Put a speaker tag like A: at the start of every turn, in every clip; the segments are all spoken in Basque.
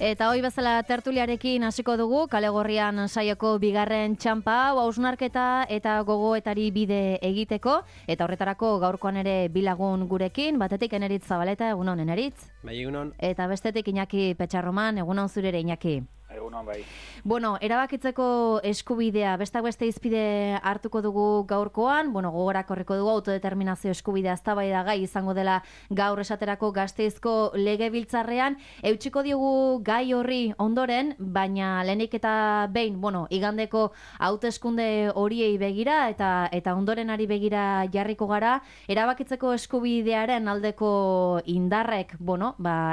A: Eta hoi bezala tertuliarekin hasiko dugu, Kale Gorrian saioko bigarren txampa, hausnarketa eta gogoetari bide egiteko, eta horretarako gaurkoan ere bilagun gurekin, batetik Eneritz Zabaleta, egunon Eneritz.
B: Bai, egunon.
A: Eta bestetik Iñaki Petxarroman, egunon zurere Iñaki.
C: Egunon, bai.
A: Bueno, erabakitzeko eskubidea, bestak beste izpide hartuko dugu gaurkoan, gogorak horreko dugu autodeterminazio eskubidea eztabaida gai izango dela gaur esaterako Gasteizko legebiltzarrean, eutsiko diogu gai horri ondoren, baina lehenik eta behin, igandeko hauteskunde horiei begira eta ondorenari begira jarriko gara, erabakitzeko eskubidearen aldeko indarrek,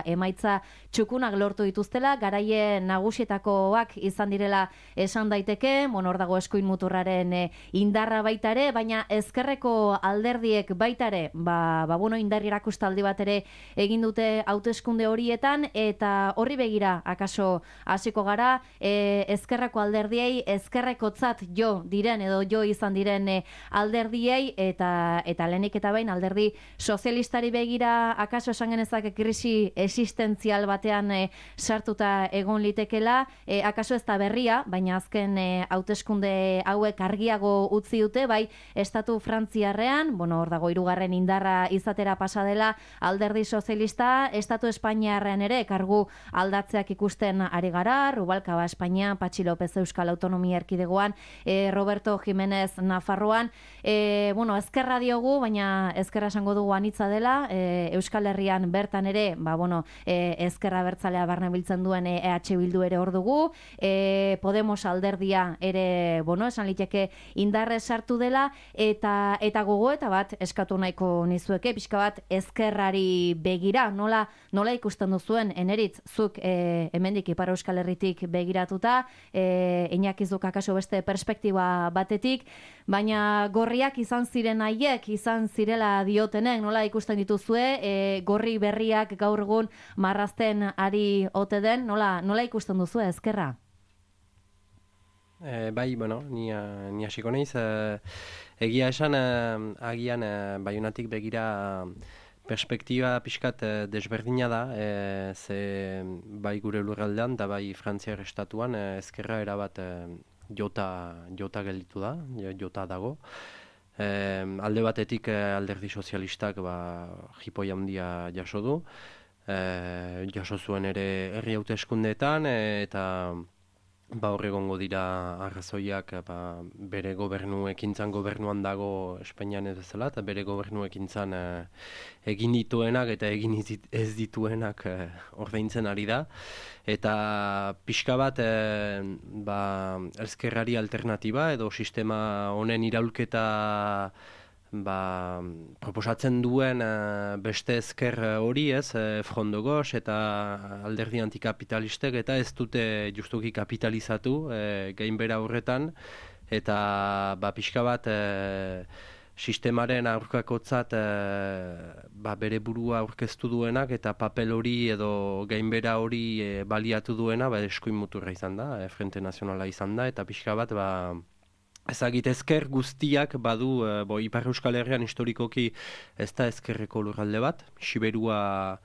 A: emaitza txukunak lortu dituztela, garaien nagusietakoak izan direla esan daiteke, hor dago eskuin muturraren indarra baita ere, baina ezkerreko alderdiek baita ere, indarri erakustaldi bat ere egin dute hauteskunde horietan, eta horri begira akaso hasiko gara, ezkerreko alderdiei, ezkerrekotzat jo diren edo jo izan diren alderdiei, eta lehenik eta behin alderdi sozialistari begira akaso esan genezake krisi existentzial batean sartuta egon litekela, akaso ez da berria, baina azken hauteskunde hauek argiago utzi dute, bai, estatu frantziarrean, hor dago hirugarren indarra izatera pasa dela alderdi sozialista, estatu espainiarrean ere kargu aldatzeak ikusten ari gara, Rubalcaba Espainia, Patxi López Euskal Autonomia Erkidegoan, Roberto Jiménez Nafarroan, ezkerra diogu, baina ezkerra esango dugu anitza dela, Euskal Herrian bertan ere, ezkerra bertzalea barne biltzen duen EH Bildu ere hor dugu, Podemos alderdia ere, esan liteke indarre sartu dela, eta gogoeta bat eskatu nahiko nizueke, pixka bat ezkerrari begira, nola ikusten duzuen, Eneritz, zuk hemendik Ipar Euskal Herritik begiratuta, Iñakizuk akaso beste perspektiba batetik, baina gorriak izan ziren haiek, izan zirela diotenek, nola ikusten dituzue, gorri berriak gaur egun marrazten ari ote den, nola ikusten duzue ezkerra?
B: Ni hasiko naiz. Egia esan, agian Baionatik begira perspektiba pixkat desberdina da, ze bai gure lurraldean eta bai Frantziar estatuan ezkerra erabat jota gelditu da, jota dago. Alde batetik alderdi sozialistak jipoi handia jaso du, jaso zuen ere herri hauteskundeetan, eta hor egongo dira arrazoiak bere gobernu ekintzan gobernuan dago Espainian ez bezala, eta bere gobernu ekintzan egin dituenak eta egin ez dituenak ordaintzen ari da. Eta pixka bat ezkerrari alternatiba edo sistema honen iraulketa proposatzen duen beste ezker hori, Front de Gauche eta alderdi antikapitalistek, eta ez dute justuki kapitalizatu gainbera horretan, eta pixka bat sistemaren aurkakotzat bere burua aurkeztu duenak eta papel hori edo gainbera hori baliatu duena eskuin muturra izan da, Frente Nazionala izan da, eta pixka bat ezagit ezker guztiak badu, Ipar Euskal Herrian historikoki ez da ezkerreko lurralde bat, Siberua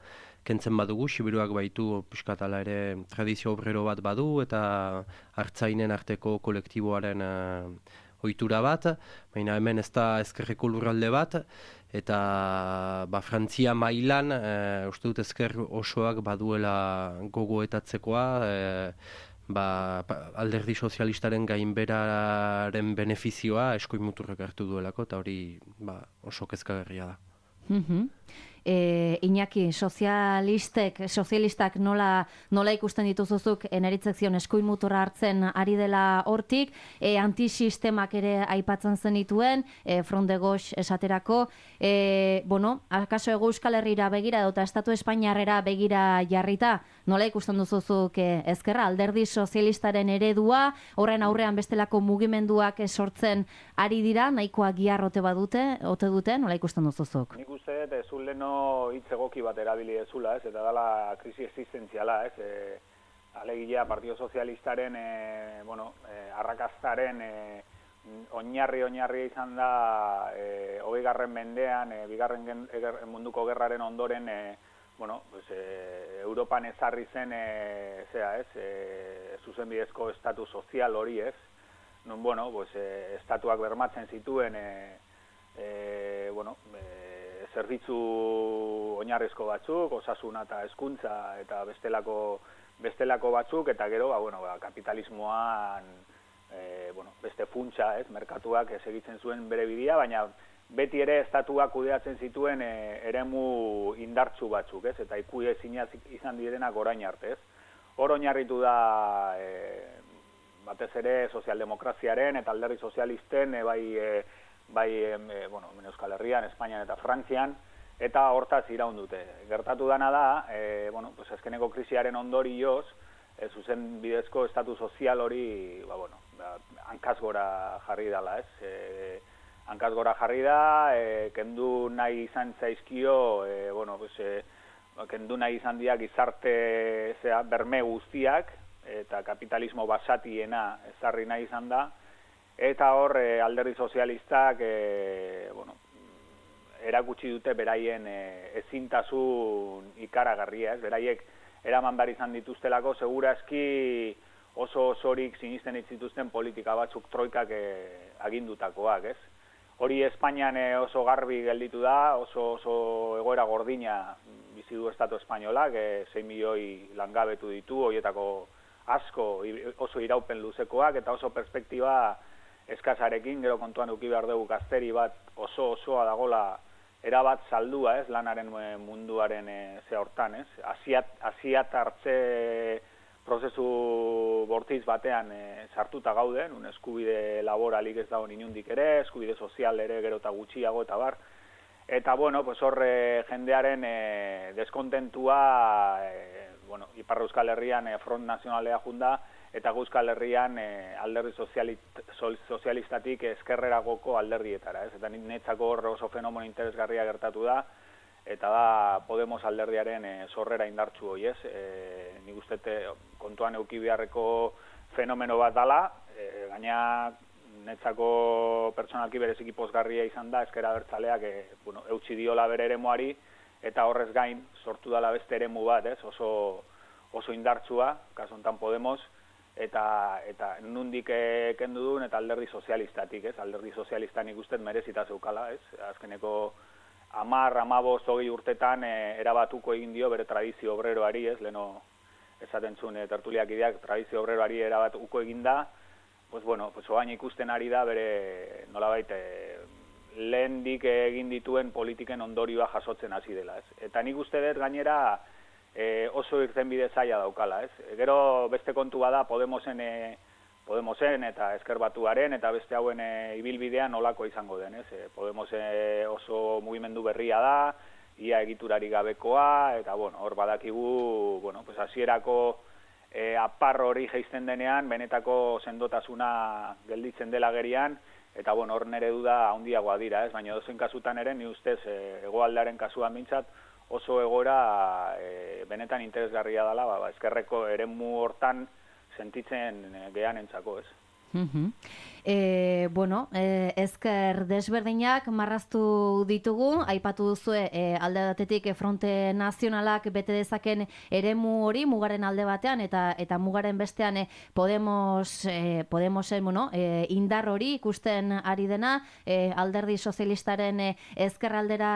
B: kentzen badugu, Siberuak baitu piskatala ere tradizio obrero bat badu, eta artzainen arteko kolektiboaren ohitura bat, baina hemen ez da ezkerreko lurralde bat, eta Frantzia mailan, uste dut ezker osoak baduela gogoetatzekoa, alderdi sozialistaren gainberaren benefizioa eskuin muturrek hartu duelako, eta hori oso kezkagarria da.
A: Iñaki, sozialistak nola ikusten dituzuzuk Eneritzek zion eskuin muturra hartzen ari dela hortik, antisistemak ere aipatzen zenituen, Front de Gauche esaterako, akaso Hego Euskal Herrira begira eta Estatu Espainiarrera begira jarrita, nola ikusten duzuzuk ezkerra, alderdi sozialistaren eredua, horren aurrean bestelako mugimenduak sortzen ari dira, nahikoa giarrote badute, ote dute, nola ikusten duzuzuk?
C: Nik uste, zuleno hitz egoki bat erabili ezula, eta dala krisi existentziala, alegia Partido Sozialistaren arrakastaren oinarri izan da 20. mendean, bigarren munduko gerraren ondoren bueno, pues, Europan ezarri zen, zuzenbidezko estatu sozial hori, ez? Non, bueno, pues, estatuak bermatzen zituen, zerbitzu oinarrizko batzuk, osasuna eta hezkuntza eta bestelako batzuk, eta gero, kapitalismoan, beste funtsa, ez, merkatuak segitzen zuen bere bidea, baina beti ere estatuak kudeatzen zituen eremu indartsu batzuk, ez, eta ikuezina izan direnak orain arte, ez. Hor oinarritu da batez ere sozialdemokraziaren eta alderdi sozialisten Euskal Herrian, Espainian eta Frantzian, eta hortaz iraun dute. Gertatu dana da, azkeneko krisiaren ondorioz, zuzen bidezko estatu sozial hori, hankaz gora jarri dela, ez? Hankaz gora jarri da, kendu nahi izan zaizkio, kendu nahi izan diak gizarte berme guztiak, eta kapitalismo basatiena ezarri nahi izan da, eta hor alderdi sozialistak erakutsi dute beraien ezintasun ikaragarria, ez? Beraiek eraman behar izan dituztelako, segurazki oso osorik sinisten zituzten politika batzuk troikak agindutakoak, ez? Hori Espainian oso garbi gelditu da, oso egoera gordina bizi du Estatu Espainolak, 6 milioi langabetu ditu, horietako asko oso iraupen luzekoak, eta oso perspektiba eskasarekin, gero kontuan eduki behar dugu gazteri bat osoa dagola erabat saldua, ez, lanaren munduaren hortan, ez. Asiat hartze prozesu bortitz batean sartuta gauden, un eskubide laboralik ez dago inundik ere, eskubide sozial ere gero eta gutxiago eta bar. Eta, hor jendearen deskontentua, Ipar Euskal Herrian Front Nazionalea junda, eta Euskal Herrian alderdi sozialistatik ezkerreragoko alderdietara, ez? Eta netzako hor oso fenomeno interesgarria gertatu da, eta da Podemos alderdiaren sorrera indartsu hoi, ez? Nik uste kontuan eduki beharreko fenomeno bat dala, gaina netzako pertsonalki bereziki pozgarria izan da, ezker abertzaleak eutsi diola bere eremuari, eta horrez gain sortu dala beste eremu bat, ez? Oso indartsua, kasu honetan Podemos, eta nundik kendu duen, eta alderdi sozialistatik, ez? Alderdi sozialistan ikusten merezita zeukala, ez? Azkeneko 10-15 20 urtetan erabatuko egin dio bere tradizio obreroari, ez? Leno esaten zuen tertuliak ideak tradizio obreroari erabatuko egin da, oain ikusten ari da bere nolabait lehendik egin dituen politiken ondorioa jasotzen hasi dela, ez? Eta nik uste dut gainera oso irtenbide zaila daukala, ez? Gero beste kontua da Podemosen eta Ezker Batuaren eta beste hauen ibilbidea nolako izango den, ez? Podemos oso mugimendu berria da, ia egiturari gabekoa, eta hor badakigu, hasierako apar hori jaisten denean, benetako sendotasuna gelditzen dela gerian, eta hor nere duda handiagoa dira, ez? Baina dozen kasutan ere, ni ustez hegoaldearen kasuan mintzat, oso egora benetan interesgarria dela, ezkerreko eremu hortan sentitzen gehan entzako, ez?
A: Ezker desberdinak marraztu ditugu, aipatu duzue alde batetik Fronte Nazionalak bete dezaken eremu hori mugaren alde batean eta mugaren bestean Podemosen indar hori ikusten ari dena, alderdi sozialistaren ezkerraldera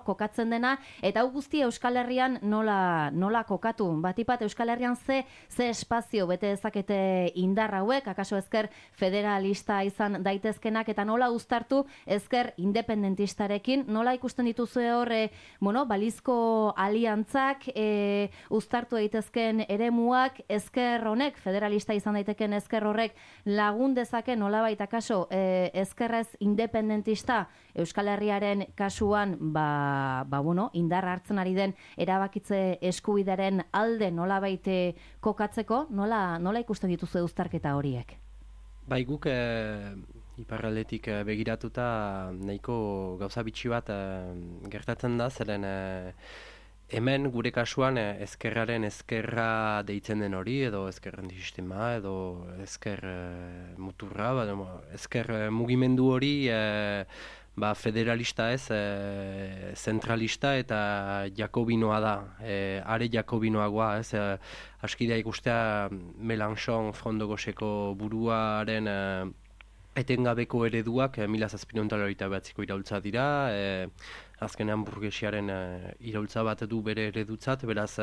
A: kokatzen dena, eta hau guztia Euskal Herrian nola kokatu? Batipat Euskal Herrian ze espazio bete dezakete indar hauek, akaso ezker federalista izan daitezkenak, eta nola uztartu ezker independentistarekin, nola ikusten dituzue hor balizko aliantzak, uztartu daitezken eremuak, ezker honek, federalista izan daiteken ezker horrek lagun dezake nolabait akaso ezkerrez independentista Euskal Herriaren kasuan indar hartzen ari den erabakitze eskubidaren alde nolabait kokatzeko, nola ikusten dituzue uztarketa horiek?
B: Bai, guk iparraldetik begiratuta nahiko gauza bitxi bat gertatzen da, zeren hemen gure kasuan ezkerraren ezkerra deitzen den hori, edo ezkerren sistema, edo ezker muturra, ezker mugimendu hori federalista ez, zentralista eta jakobinoa da, are jakobinoagoa ez, askidea ikustea Mélenchon Front de Gaucheko buruaren etengabeko ereduak 1789ko iraultza dira, azkenean burgesiaren iraultza bat du bere eredutzat, beraz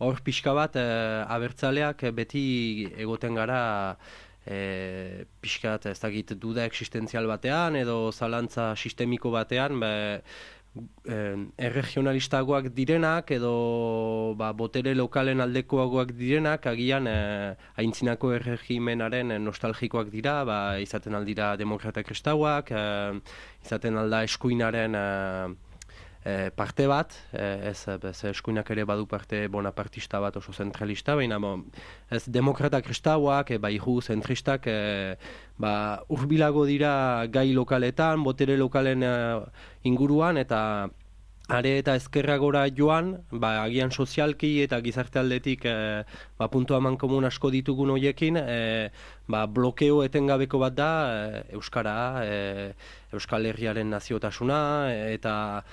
B: hor pixka bat abertzaleak beti egoten gara pixkat ez dakit duda existentzial batean edo zalantza sistemiko batean, erregionalistagoak direnak edo botere lokalen aldekoagoak direnak agian aintzinako erregimenaren nostalgikoak dira, izaten aldira demokrata kristauak, izaten alda eskuinaren parte bat, ez eskuinak ere badu parte bonapartista bat oso zentralista, baina ez demokrata kristauak, ihu zentristak urbilago dira gai lokaletan, botere lokalen inguruan, eta are eta ezkerragora joan, agian sozialki eta gizarte aldetik puntu aman komun asko ditugun horiekin, blokeo etengabeko bat da Euskara, Euskal Herriaren naziotasuna, eta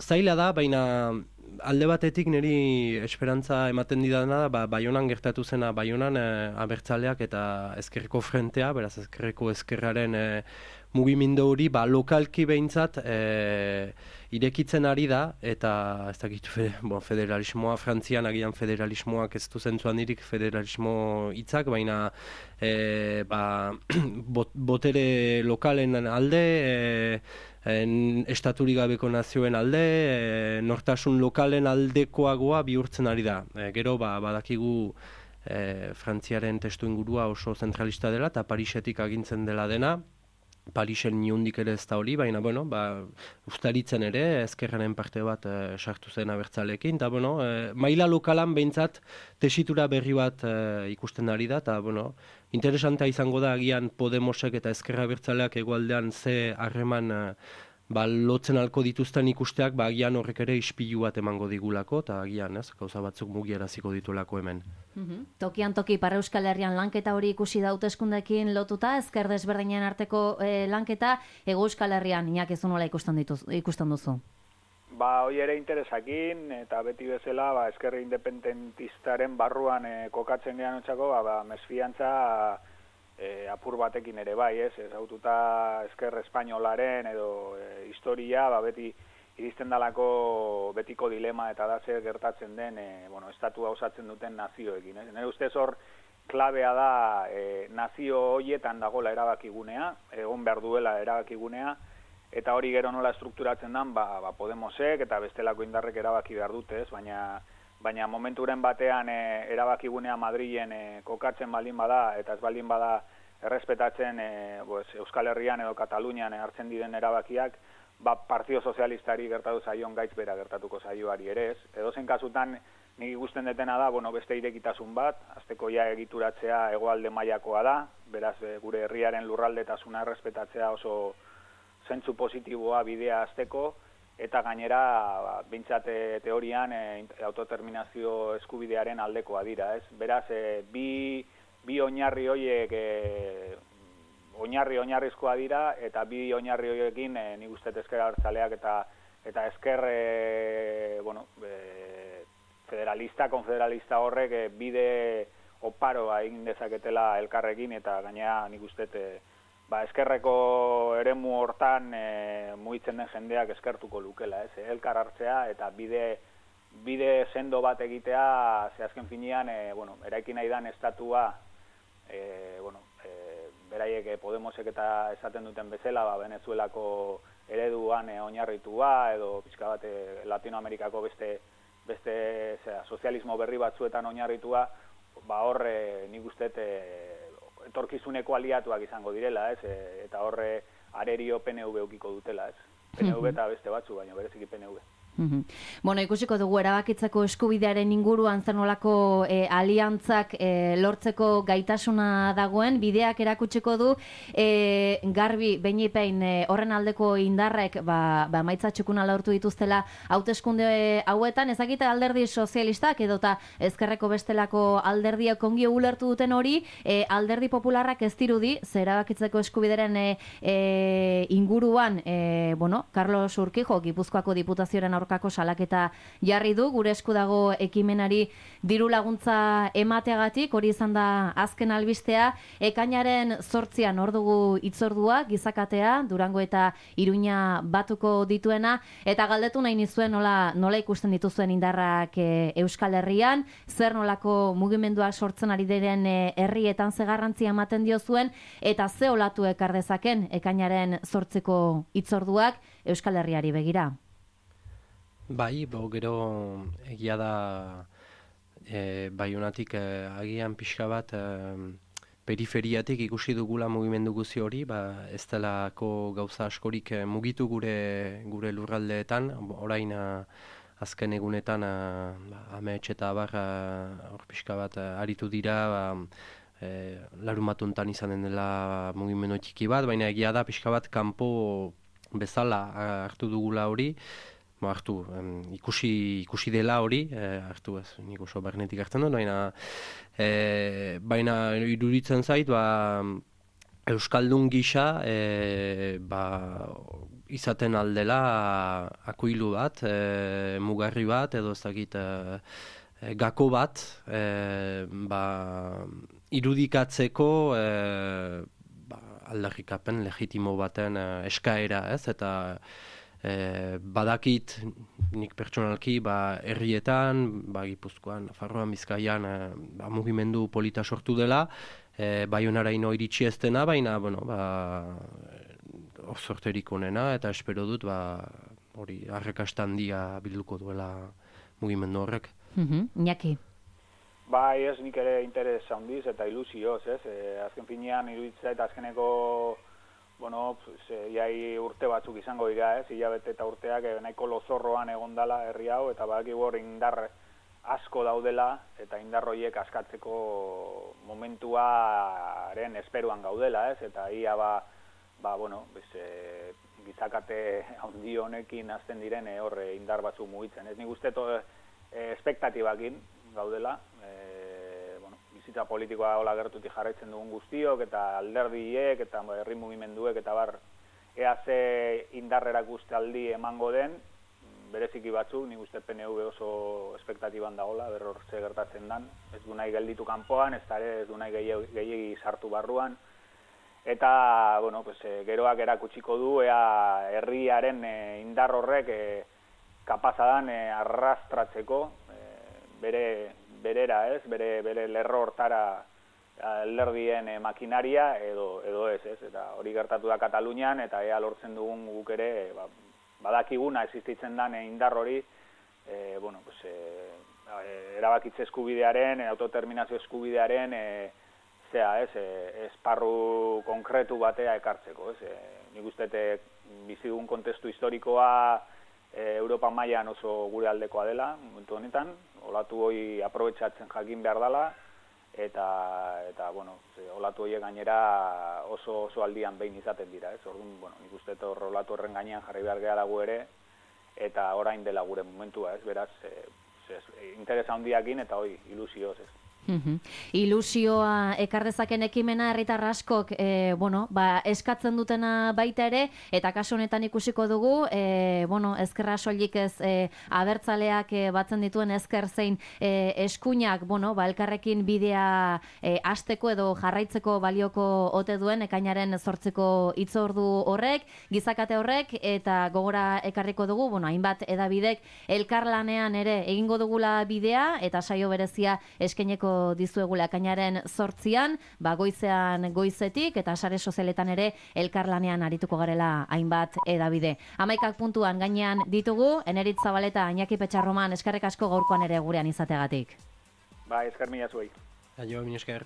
B: zaila da, baina alde batetik niri esperantza ematen didana da, Baionan gertatu zena, Baionan abertzaleak eta ezkerreko frentea, beraz ezkerraren mugimendu hori, lokalki behintzat irekitzen ari da, eta ez dakit federalismoa, Frantzian agian federalismoak ez du zentzuan dirik federalismo hitzak, baina botere lokalen alde, estaturik gabeko nazioen alde, nortasun lokalen aldekoagoa bihurtzen ari da. Gero badakigu Frantziaren testu ingurua oso zentralista dela eta Parisetik agintzen dela dena. Parisen niundik ere ez da hori, baina ustaritzen ere ezkerraren parte bat sartu zen abertzalekin, eta maila lokalan behintzat tesitura berri bat ikusten ari da, eta interesantea izango da agian Podemosek eta ezkerra abertzaleak hegoaldean ze harreman lotzen alko dituzten ikusteak, agian horrek ere ispilu bat emango digulako, eta agian gauza batzuk mugiaraziko ditulako hemen.
A: Tokian toki Ipar Euskal Herrian lanketa hori ikusi da hauteskundeekin lotuta, ezker desberdinen arteko lanketa, Hego Euskal Herrian inakizun nola ikusten duzu?
C: Hoi ere interesakin, eta beti bezala ezkerri independentistaren barruan kokatzen gehan otxako, mesfiantza apur batekin ere bai, ez haututa ezker espainolaren edo historia, beti iristen dalako betiko dilema eta da zer gertatzen den estatua osatzen duten nazioekin. Nire ustez hor klabea da nazio horietan dagoela erabakigunea, egon behar duela erabakigunea, eta hori gero nola estrukturatzen den, Podemosek eta bestelako indarrek erabaki behar dute, baina momenturen batean erabakigunea Madrilen kokatzen baldin bada, eta ez baldin bada errespetatzen Euskal Herrian edo Katalunian hartzen diren erabakiak, Partido Sozialistari gertatu zaion gaitz bera gertatuko zaioari ere ez. Edozein kasutan nik ikusten detena da, beste irekitasun bat, azteko egituratzea hegoalde mailakoa da, beraz gure herriaren lurraldetasuna errespetatzea oso zentzu positiboa bidea azteko, eta gainera, bintzat teorian, autoterminazio eskubidearen aldekoa dira, ez? Beraz, bi oinarri horiek oinarrizkoa dira, eta bi oinarri horiekin nik uste ezker abertzaleak eta ezker federalista, konfederalista horrek bide oparoa egin dezaketela elkarrekin, eta gainera nik uste ezkerreko eremu hortan mugitzen den jendeak eskertuko lukela, elkar hartzea eta bide sendo bat egitea, ze azken finean, eraiki nahi dan estatua, beraiek Podemosek eta esaten duten bezala, Venezuelako ereduan oinarritua, edo pixka bat Latinoamerikako beste sozialismo berri batzuetan oinarritua, horre nik uste etorkizuneko aliatuak izango direla, eta horre arerio PNV eukiko dutela, PNV eta beste batzu, baina bereziki PNV.
A: Bueno, ikusiko dugu erabakitzeko eskubidearen inguruan zer nolako aliantzak lortzeko gaitasuna dagoen, bideak erakutsiko du garbi beinipein horren aldeko indarrek emaitza txukuna lortu dituztela hauteskunde hauetan, ezagite alderdi sozialistak edota ezkerreko bestelako alderdiak ongi ulertu duten hori, alderdi popularrak ez dirudi, zer erabakitzeko eskubideren inguruan, Carlos Urquijo, Gipuzkoako diputazioaren aurkako salaketa jarri du, gure esku dago ekimenari diru laguntza emateagatik, hori izan da azken albistea, ekainaren 8an hor dugu hitzordua, gizakatea, Durango eta Iruña batuko dituena, eta galdetu nahi nizuen nola ikusten dituzuen indarrak Euskal Herrian, zer nolako mugimenduak sortzen ari diren herrietan ze garrantzia ematen diozuen, eta ze olatu ekar dezaken ekainaren 8ko hitzorduak Euskal Herriari begira.
B: Bai, gero egia da Baionatik agian pixka bat periferiatik ikusi dugula mugimendu guzi hori, ez delako gauza askorik mugitu gure lurraldeetan, orain azken egunetan amets eta abar hor pixka bat aritu dira, larumatuntan izanen dela mugimendu txiki bat, baina egia da pixka bat kanpo bezala hartu dugula hori, ikusi dela hori, hartu ez, nik oso bernetik hartzen dut, baina iruditzen zait, Euskaldun gisa izaten aldela akuilu bat, mugarri bat, edo ez dakit gako bat, irudikatzeko aldarrikapen legitimo baten eskaera, ez, eta badakit nik pertsonalki herrietan, Gipuzkoan, Nafarroan, Bizkaian mugimendu polita sortu dela, Baionaraino iritsi ez dena, baina sorterik onena, eta espero dut hori arrakasta handia bilduko duela mugimendu horrek.
A: Iñaki.
C: Bai, ez nik ere interes handiz eta ilusioz, ez? Azken finean iruditzea eta azkeneko jai urte batzuk izango dira, hilabete eta urteak nahiko lozorroan egondala herri hau, eta badakigu hor indar asko daudela, eta indar horiek askatzeko momentuaren esperuan gaudela, eta ia gizakate handi honekin hasten diren hor indar batzuk mugitzen. Ez nik uste espektatibakin gaudela, bizitza politikoa hola gertutik jarraitzen dugun guztiok, eta alderdiek, eta herri mugimenduek, eta ea ze indarrerak uste aldi emango den, bereziki batzuk, nik uste PNV oso espektatiban dagoela, berror ze gertatzen dan, ez du nahi gelditu kanpoan, ez du nahi gehiegi sartu barruan, eta, geroak erakutsiko du, ea herriaren indar horrek kapazadan arrastratzeko, berera, ez, bere lerro hortara alderdien makinaria edo ez, eta hori gertatu da Katalunian, eta ea lortzen dugun guk ere badakiguna existitzen den indar hori, erabakitze eskubidearen, autodeterminazio eskubidearen esparru konkretu batea ekartzeko, ez. Nik uste bizi dugun kontestu historikoa Europa mailan oso gure aldekoa dela, momentu honetan, olatu hori aprobetxatzen jakin behar dela, eta olatu horiek gainera oso aldian behin izaten dira, ez? Orduan, nik uste olatu horren gainean jarri behar gehala gu ere, eta orain dela gure momentua, ez? Beraz, interesa handiakin eta ilusioz, ez?
A: Ilusioa ekardezaken ekimena herritar askok eskatzen dutena baita ere, eta kasu honetan ikusiko dugu, ezkerra soilik ez abertzaleak batzen dituen ezker zein eskuinak, elkarrekin bidea hasteko edo jarraitzeko balioko ote duen ekainaren 8ko hitzordu horrek, gizakate horrek, eta gogora ekarriko dugu, hainbat edabidek elkarlanean ere egingo dugula bidea, eta saio berezia eskaineko dizuegula ekainaren 8an, goizean goizetik, eta sare sozialetan ere elkarlanean arituko garela hainbat edabide. 11 puntuan gainean ditugu, Eneritz Zabaleta, Iñaki Petxarroman, eskerrik asko gaurkoan ere gurean izateagatik.
C: Esker mila zuei.
B: Aio, min esker.